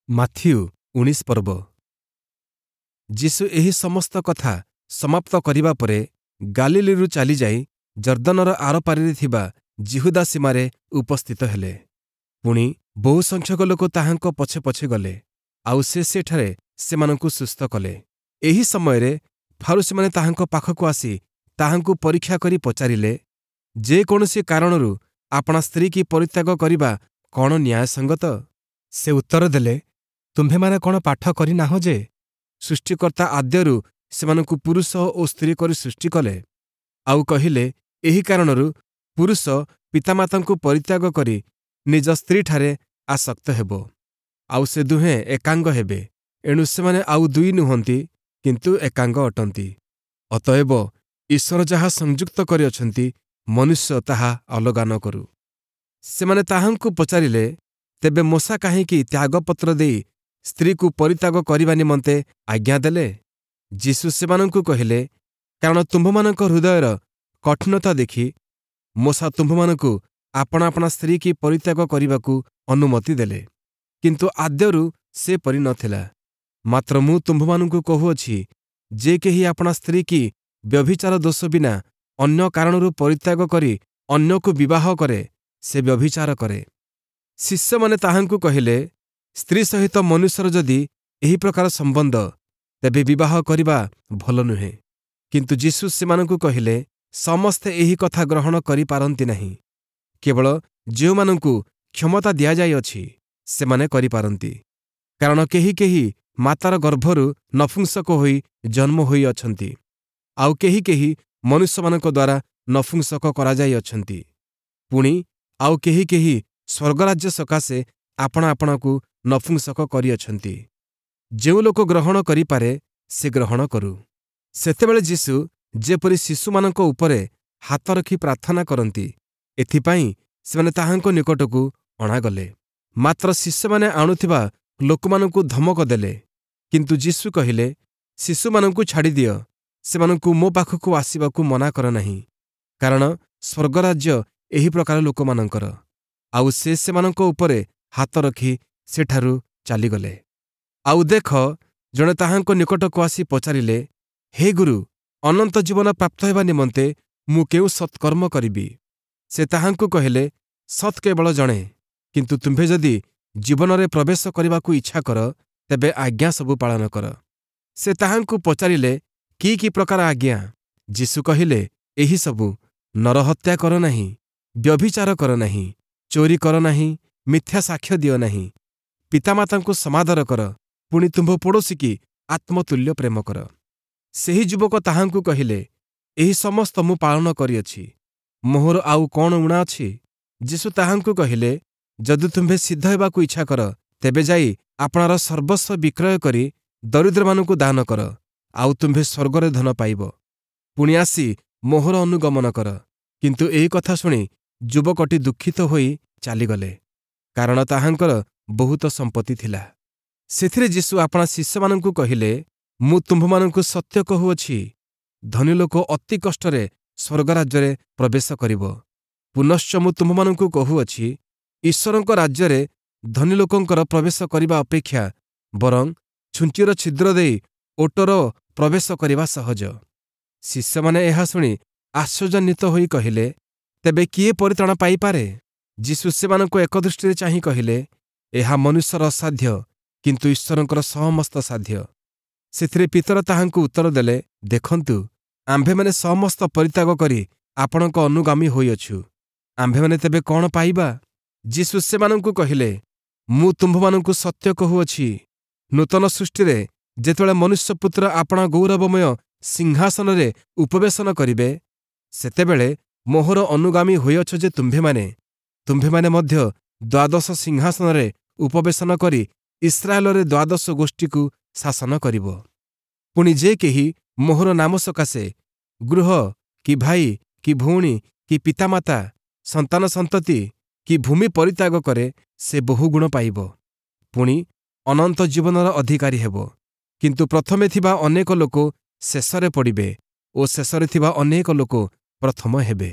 Matthew 19 ପର୍ବ। ଯୀଶୁ ଏହି ସମସ୍ତ କଥା ସମାପ୍ତ କରିବା ପରେ ଗାଲିଲୀରୁ ଚାଲିଯାଇ ଯର୍ଦ୍ଦନର ଆରପାରିରେ ଥିବା ଯିହୁଦା ସୀମାରେ ଉପସ୍ଥିତ ହେଲେ। ପୁଣି ବହୁସଂଖ୍ୟକ ଲୋକ ତାହାଙ୍କ ପଛେ ପଛେ ଗଲେ, ଆଉ ସେ ସେଠାରେ ସେମାନଙ୍କୁ ସୁସ୍ଥ କଲେ। ଏହି ସମୟରେ ଫାରୂଶୀମାନେ ତାହାଙ୍କ ପାଖକୁ ଆସି ତାହାଙ୍କୁ ପରୀକ୍ଷା କରି ପଚାରିଲେ, ଯେ କୌଣସି କାରଣରୁ ଆପଣା ସ୍ତ୍ରୀକି ପରିତ୍ୟାଗ କରିବା କ'ଣ ନ୍ୟାୟସଙ୍ଗତ? ସେ ଉତ୍ତର ଦେଲେ, ତୁମ୍ଭେମାନେ କ'ଣ ପାଠ କରିନାହଁ ଯେ ସୃଷ୍ଟିକର୍ତ୍ତା ଆଦ୍ୟରୁ ସେମାନଙ୍କୁ ପୁରୁଷ ଓ ସ୍ତ୍ରୀ କରି ସୃଷ୍ଟି କଲେ? ଆଉ କହିଲେ, ଏହି କାରଣରୁ ପୁରୁଷ ପିତାମାତାଙ୍କୁ ପରିତ୍ୟାଗ କରି ନିଜ ସ୍ତ୍ରୀଠାରେ ଆସକ୍ତ ହେବ, ଆଉ ସେ ଦୁହେଁ ଏକାଙ୍ଗ ହେବେ। ଏଣୁ ସେମାନେ ଆଉ ଦୁଇ ନୁହନ୍ତି, କିନ୍ତୁ ଏକାଙ୍ଗ ଅଟନ୍ତି। ଅତଏବ ଈଶ୍ୱର ଯାହା ସଂଯୁକ୍ତ କରିଅଛନ୍ତି, ମନୁଷ୍ୟ ତାହା ଅଲଗା ନ କରୁ। ସେମାନେ ତାହାଙ୍କୁ ପଚାରିଲେ, ତେବେ ମୋଶା କାହିଁକି ତ୍ୟାଗପତ୍ର ଦେଇ ସ୍ତ୍ରୀକୁ ପରିତ୍ୟାଗ କରିବା ନିମନ୍ତେ ଆଜ୍ଞା ଦେଲେ? ଯୀଶୁ ସେମାନଙ୍କୁ କହିଲେ, କାରଣ ତୁମ୍ଭମାନଙ୍କ ହୃଦୟର କଠିନତା ଦେଖି ମୋଶା ତୁମ୍ଭମାନଙ୍କୁ ଆପଣା ଆପଣା ସ୍ତ୍ରୀକି ପରିତ୍ୟାଗ କରିବାକୁ ଅନୁମତି ଦେଲେ, କିନ୍ତୁ ଆଦ୍ୟରୁ ସେପରି ନ ଥିଲା। ମାତ୍ର ମୁଁ ତୁମ୍ଭମାନଙ୍କୁ କହୁଅଛି, ଯେ କେହି ଆପଣା ସ୍ତ୍ରୀକି ବ୍ୟଭିଚାର ଦୋଷ ବିନା ଅନ୍ୟ କାରଣରୁ ପରିତ୍ୟାଗ କରି ଅନ୍ୟକୁ ବିବାହ କରେ, ସେ ବ୍ୟଭିଚାର କରେ। ଶିଷ୍ୟମାନେ ତାହାଙ୍କୁ କହିଲେ, ସ୍ତ୍ରୀ ସହିତ ମନୁଷ୍ୟର ଯଦି ଏହି ପ୍ରକାର ସମ୍ବନ୍ଧ, ତେବେ ବିବାହ କରିବା ଭଲ ନୁହେଁ। କିନ୍ତୁ ଯୀଶୁ ସେମାନଙ୍କୁ କହିଲେ, ସମସ୍ତେ ଏହି କଥା ଗ୍ରହଣ କରିପାରନ୍ତି ନାହିଁ, କେବଳ ଯେଉଁମାନଙ୍କୁ କ୍ଷମତା ଦିଆଯାଇଅଛି ସେମାନେ କରିପାରନ୍ତି। କାରଣ କେହି କେହି ମାତାର ଗର୍ଭରୁ ନପୁଂସକ ହୋଇ ଜନ୍ମ ହୋଇଅଛନ୍ତି, ଆଉ କେହି କେହି ମନୁଷ୍ୟମାନଙ୍କ ଦ୍ୱାରା ନପୁଂସକ କରାଯାଇଅଛନ୍ତି। ପୁଣି ଆଉ କେହି କେହି ସ୍ୱର୍ଗରାଜ୍ୟ ସକାଶେ ଆପଣା ଆପଣାକୁ ନପୁଂସକ କରିଅଛନ୍ତି। ଯେଉଁ ଲୋକ ଗ୍ରହଣ କରିପାରେ, ସେ ଗ୍ରହଣ କରୁ। ସେତେବେଳେ ଯୀଶୁ ଯେପରି ଶିଶୁମାନଙ୍କ ଉପରେ ହାତ ରଖି ପ୍ରାର୍ଥନା କରନ୍ତି, ଏଥିପାଇଁ ସେମାନେ ତାହାଙ୍କ ନିକଟକୁ ଅଣାଗଲେ। ମାତ୍ର ଶିଷ୍ୟମାନେ ଆଣୁଥିବା ଲୋକମାନଙ୍କୁ ଧମକ ଦେଲେ। କିନ୍ତୁ ଯୀଶୁ କହିଲେ, ଶିଶୁମାନଙ୍କୁ ଛାଡ଼ିଦିଅ, ସେମାନଙ୍କୁ ମୋ ପାଖକୁ ଆସିବାକୁ ମନା କର ନାହିଁ, କାରଣ ସ୍ୱର୍ଗରାଜ୍ୟ ଏହି ପ୍ରକାର ଲୋକମାନଙ୍କର। ଆଉ ସେ ସେମାନଙ୍କ ଉପରେ ହାତ ରଖି ସେଠାରୁ ଚାଲିଗଲେ। ଆଉ ଦେଖ, ଜଣେ ତାହାଙ୍କ ନିକଟକୁ ଆସି ପଚାରିଲେ, ହେ ଗୁରୁ, ଅନନ୍ତ ଜୀବନ ପ୍ରାପ୍ତ ହେବା ନିମନ୍ତେ ମୁଁ କେଉଁ ସତ୍କର୍ମ କରିବି? ସେ ତାହାଙ୍କୁ କହିଲେ, ସତ୍ କେବଳ ଜଣେ, କିନ୍ତୁ ତୁମ୍ଭେ ଯଦି ଜୀବନରେ ପ୍ରବେଶ କରିବାକୁ ଇଚ୍ଛା କର, ତେବେ ଆଜ୍ଞା ସବୁ ପାଳନ କର। ସେ ତାହାଙ୍କୁ ପଚାରିଲେ, କି କି ପ୍ରକାର ଆଜ୍ଞା? ଯୀଶୁ କହିଲେ, ଏହି ସବୁ: ନରହତ୍ୟା କର ନାହିଁ, ବ୍ୟଭିଚାର କର ନାହିଁ, ଚୋରି କର ନାହିଁ, ମିଥ୍ୟା ସାକ୍ଷ୍ୟ ଦିଅ ନାହିଁ, ପିତାମାତାଙ୍କୁ ସମାଦର କର, ପୁଣି ତୁମ୍ଭ ପଡ଼ୋଶୀକି ଆତ୍ମତୁଲ୍ୟ ପ୍ରେମ କର। ସେହି ଯୁବକ ତାହାଙ୍କୁ କହିଲେ, ଏହି ସମସ୍ତ ମୁଁ ପାଳନ କରିଅଛି, ମୋହର ଆଉ କ'ଣ ଊଣା ଅଛି? ଯୀଶୁ ତାହାଙ୍କୁ କହିଲେ, ଯଦି ତୁମ୍ଭେ ସିଦ୍ଧ ହେବାକୁ ଇଚ୍ଛା କର, ତେବେ ଯାଇ ଆପଣାର ସର୍ବସ୍ୱ ବିକ୍ରୟ କରି ଦରିଦ୍ରମାନଙ୍କୁ ଦାନ କର, ଆଉ ତୁମ୍ଭେ ସ୍ୱର୍ଗରେ ଧନ ପାଇବ। ପୁଣି ଆସି ମୋହର ଅନୁଗମନ କର। କିନ୍ତୁ ଏହି କଥା ଶୁଣି ଯୁବକଟି ଦୁଃଖିତ ହୋଇ ଚାଲିଗଲେ, କାରଣ ତାହାଙ୍କର ବହୁତ ସମ୍ପତ୍ତି ଥିଲା। ସେଥିରେ ଯୀଶୁ ଆପଣା ଶିଷ୍ୟମାନଙ୍କୁ କହିଲେ, ମୁଁ ତୁମ୍ଭମାନଙ୍କୁ ସତ୍ୟ କହୁଅଛି, ଧନୀ ଲୋକ ଅତି କଷ୍ଟରେ ସ୍ୱର୍ଗରାଜ୍ୟରେ ପ୍ରବେଶ କରିବ। ପୁନଶ୍ଚ ମୁଁ ତୁମ୍ଭମାନଙ୍କୁ କହୁଅଛି, ଈଶ୍ୱରଙ୍କ ରାଜ୍ୟରେ ଧନୀ ଲୋକଙ୍କର ପ୍ରବେଶ କରିବା ଅପେକ୍ଷା ବରଂ ଛୁଞ୍ଚିର ଛିଦ୍ର ଦେଇ ଓଟର ପ୍ରବେଶ କରିବା ସହଜ। ଶିଷ୍ୟମାନେ ଏହା ଶୁଣି ଆଶ୍ଚର୍ଯ୍ୟାନ୍ୱିତ ହୋଇ କହିଲେ, ତେବେ କିଏ ପରିତ୍ରାଣ ପାଇପାରେ? ଯୀଶୁ ସେମାନଙ୍କୁ ଏକଦୃଷ୍ଟିରେ ଚାହିଁ କହିଲେ, ଏହା ମନୁଷ୍ୟର ଅସାଧ୍ୟ, କିନ୍ତୁ ଈଶ୍ୱରଙ୍କର ସମସ୍ତ ସାଧ୍ୟ। ସେଥିରେ ପିତର ତାହାଙ୍କୁ ଉତ୍ତର ଦେଲେ, ଦେଖନ୍ତୁ, ଆମ୍ଭେମାନେ ସମସ୍ତ ପରିତ୍ୟାଗ କରି ଆପଣଙ୍କ ଅନୁଗାମୀ ହୋଇଅଛୁ, ଆମ୍ଭେମାନେ ତେବେ କ'ଣ ପାଇବା? ଯୀଶୁ ସେମାନଙ୍କୁ କହିଲେ, ମୁଁ ତୁମ୍ଭମାନଙ୍କୁ ସତ୍ୟ କହୁଅଛି, ନୂତନ ସୃଷ୍ଟିରେ ଯେତେବେଳେ ମନୁଷ୍ୟପୁତ୍ର ଆପଣା ଗୌରବମୟ ସିଂହାସନରେ ଉପବେଶନ କରିବେ, ସେତେବେଳେ ମୋହର ଅନୁଗାମୀ ହୋଇଅଛ ଯେ ତୁମ୍ଭେମାନେ, ତୁମ୍ଭେମାନେ ମଧ୍ୟ ଦ୍ୱାଦଶ ସିଂହାସନରେ ଉପବେଶନ କରି ଇସ୍ରାଏଲରେ ଦ୍ୱାଦଶ ଗୋଷ୍ଠୀକୁ ଶାସନ କରିବ। ପୁଣି ଯେ କେହି ମୋହର ନାମ ସକାଶେ ଗୃହ କି ଭାଇ କି ଭଉଣୀ କି ପିତାମାତା, ସନ୍ତାନ ସନ୍ତତି କି ଭୂମି ପରିତ୍ୟାଗ କରେ, ସେ ବହୁଗୁଣ ପାଇବ, ପୁଣି ଅନନ୍ତ ଜୀବନର ଅଧିକାରୀ ହେବ। କିନ୍ତୁ ପ୍ରଥମେ ଥିବା ଅନେକ ଲୋକ ଶେଷରେ ପଡ଼ିବେ ଓ ଶେଷରେ ଥିବା ଅନେକ ଲୋକ ପ୍ରଥମ ହେବେ।